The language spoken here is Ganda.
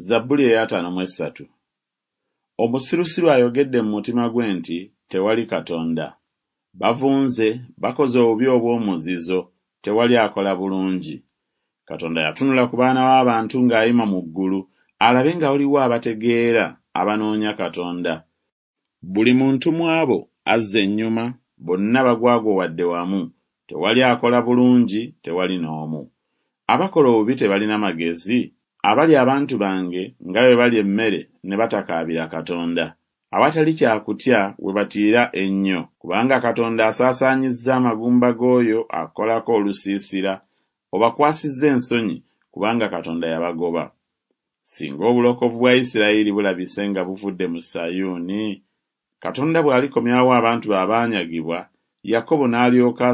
Zabbuli ey'ataano mu essatu. Omusirusiru ayogedde mu mutima gwe nti, Tewali Katonda. Bavunze, bakoze obubi obw'omuzizo, tewali akola bulungi. Katonda yatunula ku baana b'abantu ng'ayima mu ggulu, alabe nga waliwo abategeera, abanoonya Katonda. Buli muntu mu abo azza ennyuma, bonna bagwagwawadde wamu, tewali akola bulungi, tewali n'omu. Abakola obubi tebalina magezi? Abalya abantu bange nga bwe balya emmere ne batakaabira Katonda. Awatali kya kutya we batiira ennyo, kubanga Katonda asaasaanyizza amagumba g'oyo akolako olusiisira, obakwasizza ensonyi, kubanga Katonda yabagoba. Singa obulokovu bwa Isirayiri bulabise nga buvudde mu Sayuuni! Katonda bw'alikomyawo abantu be abaanyagibwa, Yakobo n'alyoka